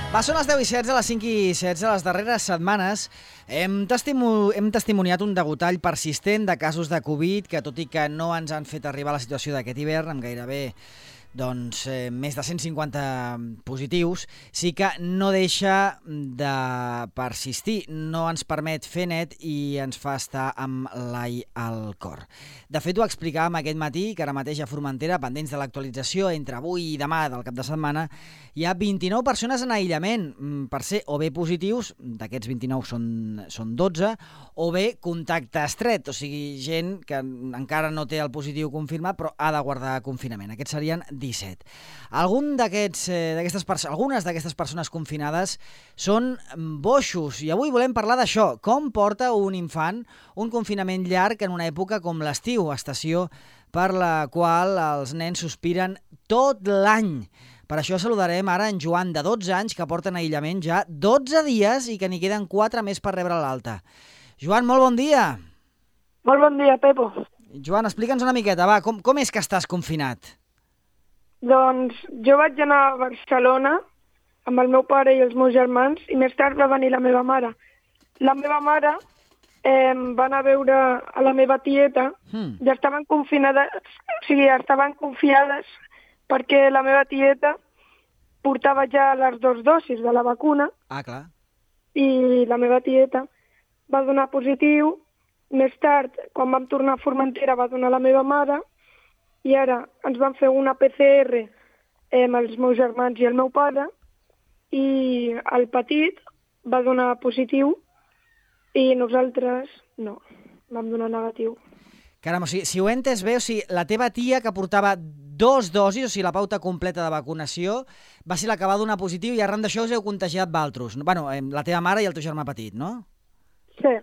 Va, són les 10:16, a les 5:16. Les darreres setmanes hem testimoniat un degotall persistent de casos de Covid que, tot i que no ens han fet arribar a la situació d'aquest hivern, amb gairebé més de 150 positius, sí que no deixa de persistir, no ens permet fer net i ens fa estar amb l'ai al cor. De fet, ho explicàvem aquest matí, que ara mateix a Formentera, pendents de l'actualització entre avui i demà del cap de setmana, hi ha 29 persones en aïllament per ser o bé positius, d'aquests 29 són 12, o bé contacte estret, o sigui, gent que encara no té el positiu confirmat però ha de guardar confinament. Aquests serien 17. Algunes d'aquestes persones confinades són boixos i avui volem parlar d'això. Com porta un infant un confinament llarg en una època com l'estiu, estació per la qual els nens sospiren tot l'any? Per això saludarem ara en Joan, de 12 anys, que porta en aïllament ja 12 dies i que n'hi queden 4 més per rebre l'alta. Joan, molt bon dia. Molt bon dia, Pepo. Joan, explica'ns una miqueta, va, com és que estàs confinat? Doncs jo vaig anar a Barcelona amb el meu pare i els meus germans i més tard va venir la meva mare. La meva mare va anar a veure a la meva tieta, ja estaven confinades, estaven confiades perquè la meva tieta portava ja les 2 dosis de la vacuna. Ah, clar. I la meva tieta va donar positiu. Més tard, quan vam tornar a Formentera, va donar la meva mare i ara ens van fer una PCR amb els meus germans i el meu pare i el petit va donar positiu i nosaltres no, vam donar negatiu. Caram, o sigui, si ho he entès bé, o sigui, la teva tia que portava 2 dosis, o sigui, la pauta completa de vacunació, va ser la que va donar positiu i arran d'això us heu contagiat vosaltres. Bueno, la teva mare i el teu germà petit, no? Sí.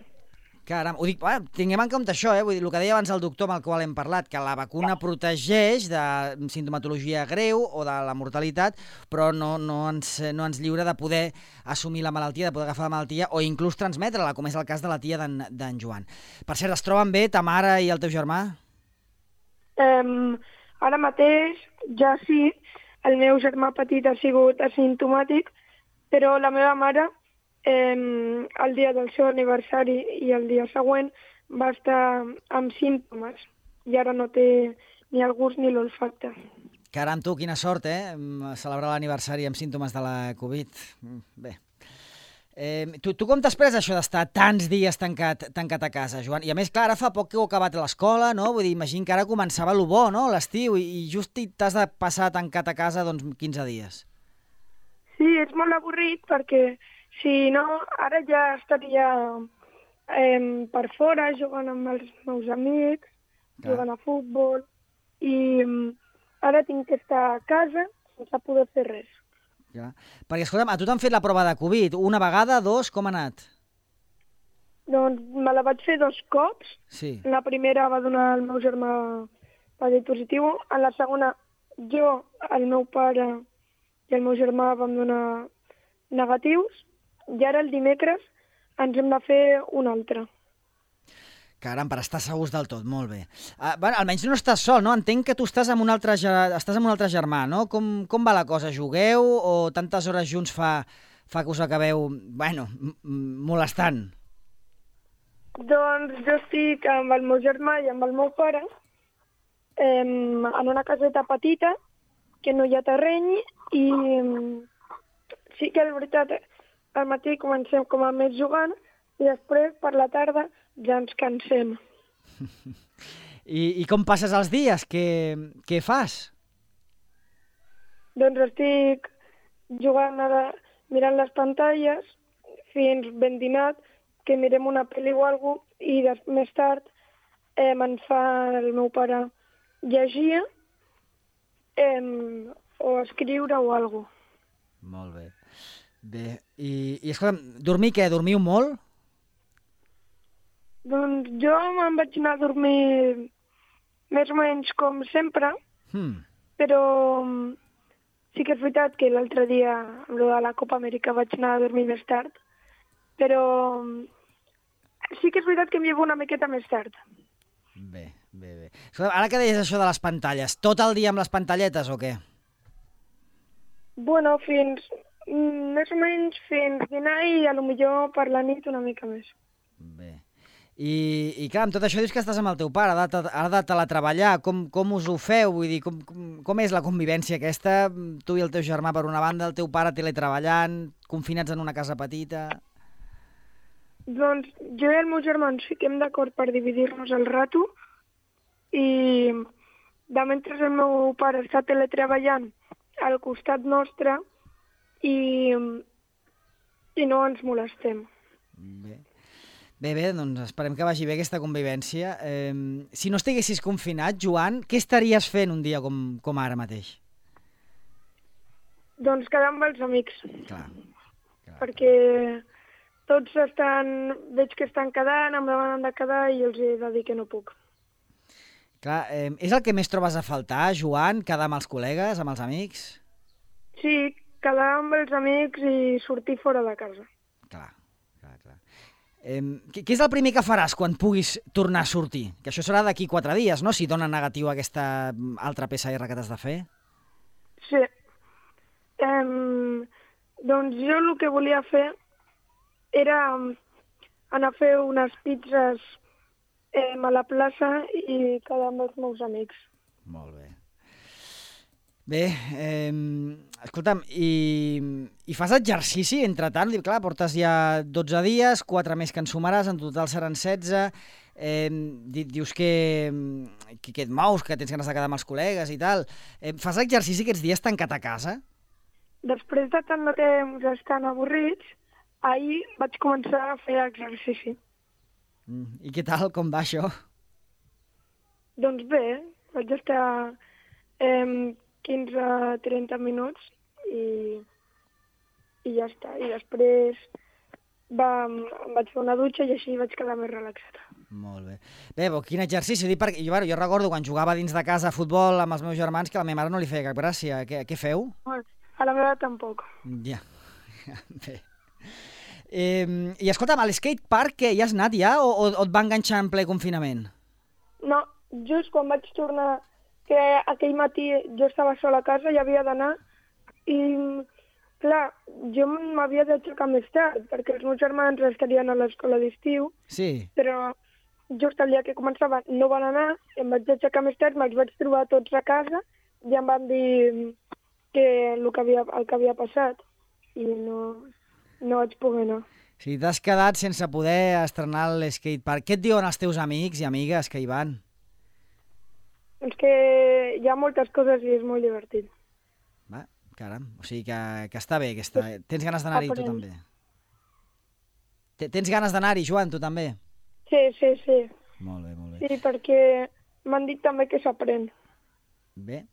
Caram, ho dic, tinguem en compte això, vull dir, el que deia abans el doctor amb el qual hem parlat, que la vacuna protegeix de sintomatologia greu o de la mortalitat, però no ens lliura de poder assumir la malaltia, de poder agafar la malaltia o inclús transmetre-la, com és el cas de la tia d'en Joan. Per cert, es troben bé ta mare i el teu germà? Ara mateix ja sí, el meu germà petit ha sigut asimptomàtic, però la meva mare el dia del seu aniversari i el dia següent va estar amb símptomes i ara no té ni el gust ni l'olfacte. Caram, tu, quina sort, celebrar l'aniversari amb símptomes de la Covid. Bé. Tu com t'has pres això d'estar tants dies tancat a casa, Joan? I a més, clar, ara fa poc que heu acabat l'escola, no? Vull dir, imagino que ara començava lo bo, no?, l'estiu, i just t'has de passar tancat a casa, doncs, 15 dies. Sí, és molt avorrit perquè si no, ara ja estaria per fora jugant amb els meus amics, jugant a futbol, i ara tinc que estar a casa sense poder fer res. Ja. Perquè, escolta'm, a tu t'han fet la prova de Covid? Una vegada, 2, com ha anat? Doncs me la vaig fer 2 cops. Sí. La primera va donar el meu germà positiu, en la segona jo, el meu pare i el meu germà vam donar negatius, i ara el dimecres ens hem de fer una altra. Caram, per estar segurs del tot, molt bé. Almenys no estàs sol, no? Entenc que tu estàs amb un altre germà, no? Com va la cosa? Jugueu o tantes hores junts fa que us acabeu, molestant? Doncs jo estic amb el meu germà i amb el meu pare en una caseta petita que no hi ha terreny i sí que és veritat, al matí comencem com a més jugant i després per la tarda ja ens cansem. I com passes els dies? Què fas? Doncs estic jugant, mirant les pantalles fins ben dinat, que mirem una pel·li o alguna cosa, i més tard em fa el meu pare llegir o escriure o alguna cosa. Molt bé. Bé, i escolta'm, dormir què? Dormiu molt? Doncs jo me'n vaig anar a dormir més o menys com sempre, però sí que és veritat que l'altre dia, amb de la Copa Amèrica, vaig anar a dormir més tard, però sí que és veritat que m'hi he una miqueta més tard. Bé. Escolta'm, ara que deies això de les pantalles, tot el dia amb les pantalletes o què? Bueno, fins Més o menys fins dinar i potser per la nit una mica més. Bé. I clar, amb tot això dius que estàs amb el teu pare, ha de teletreballar. Com us ho feu? Vull dir, com és la convivència aquesta? Tu i el teu germà per una banda, el teu pare teletreballant, confinats en una casa petita... Doncs jo i el meu germà ens fiquem d'acord per dividir-nos el rato i de mentre el meu pare està teletreballant al costat nostre i no ens molestem. Bé, doncs esperem que vagi bé aquesta convivència. Si no estiguessis confinat, Joan, què estaries fent un dia com ara mateix? Doncs quedar amb els amics. Clar. Perquè tots veig que estan quedant, em demanen de quedar i els he de dir que no puc. Clar, és el que més trobes a faltar, Joan, quedar amb els col·legues, amb els amics? Sí, quedar amb els amics i sortir fora de casa. Clar. Què és el primer que faràs quan puguis tornar a sortir? Que això serà d'aquí 4 dies, no?, si dona negatiu aquesta altra PCR que t'has de fer. Sí. Doncs jo el que volia fer era anar a fer unes pizzas a la plaça i quedar amb els meus amics. Molt bé. Bé, escolta'm, i fas exercici entretant? Clar, portes ja 12 dies, 4 més que en sumaràs, en total seran 16. Dius que et mous, que tens ganes de quedar amb els col·legues i tal. Fas exercici aquests dies tancat a casa? Després de tant de temps estant avorrits, ahir vaig començar a fer exercici. I què tal? Com va això? Doncs bé, vaig estar 15-30 minuts i ja està. I després em vaig fer una dutxa i així vaig quedar més relaxada. Molt bé. Bé, quin exercici. Jo recordo quan jugava dins de casa a futbol amb els meus germans que a la meva mare no li feia cap gràcia. Què feu? A la meva tampoc. Ja. Bé. I escolta'm, a l'skatepark hi has anat ja o et va enganxar en ple confinament? No, just quan vaig tornar, que aquell matí jo estava sola a casa i havia d'anar i, clar, jo m'havia d'aixecar més tard perquè els meus germans estarien a l'escola d'estiu, sí. Però just el dia que començava no van anar, em vaig aixecar més tard, me'ls vaig trobar tots a casa i em van dir que el que havia passat i no vaig poder anar. Sí, t'has quedat sense poder estrenar l'skatepark. Què et diuen els teus amics i amigues que hi van? Doncs que hi ha moltes coses i és molt divertit. Va, caram, o sigui que està bé. Tens ganes d'anar-hi tu també? Tens ganes d'anar-hi, Joan, tu també? Sí. Molt bé. Sí, perquè m'han dit també que s'aprèn. Bé.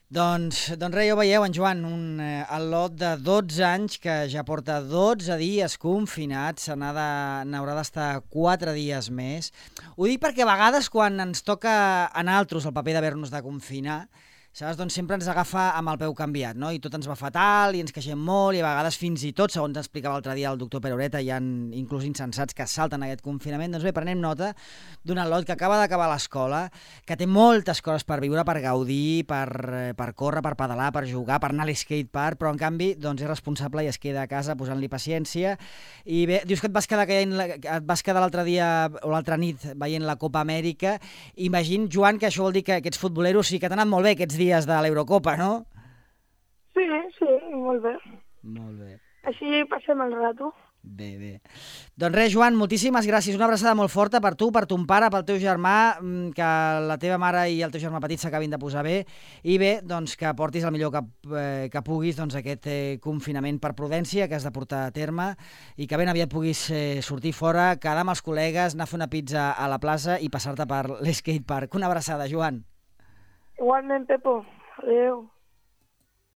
Doncs res, ja ho veieu, en Joan, el lot de 12 anys que ja porta 12 dies confinat, n'haurà d'estar 4 dies més. Ho dic perquè a vegades quan ens toca a nosaltres el paper d'haver-nos de confinar, saps? Doncs sempre ens agafa amb el peu canviat, no? I tot ens va fatal i ens queixem molt i a vegades fins i tot, segons explicava l'altre dia el doctor Pere Ureta, hi ha inclús insensats que salten aquest confinament. Doncs bé, prenem nota d'un lot que acaba d'acabar l'escola, que té moltes coses per viure, per gaudir, per córrer, per pedalar, per jugar, per anar a l'skatepark, però en canvi doncs és responsable i es queda a casa posant-li paciència. I bé, dius que et vas quedar l'altre dia o l'altra nit veient la Copa Amèrica. Imagino, Joan, que això vol dir que aquests futboleros sí que t'han anat molt bé aquests dies de l'Eurocopa, no? Sí, molt bé. Molt bé. Així passem el rato. Bé. Doncs res, Joan, moltíssimes gràcies. Una abraçada molt forta per tu, per ton pare, pel teu germà, que la teva mare i el teu germà petit s'acabin de posar bé. I bé, doncs que portis el millor que puguis aquest confinament per prudència que has de portar a terme i que ben aviat puguis sortir fora, quedar amb els col·legues, anar a fer una pizza a la plaça i passar-te per l'skatepark. Una abraçada, Joan. Igualment, Pepo. Adéu.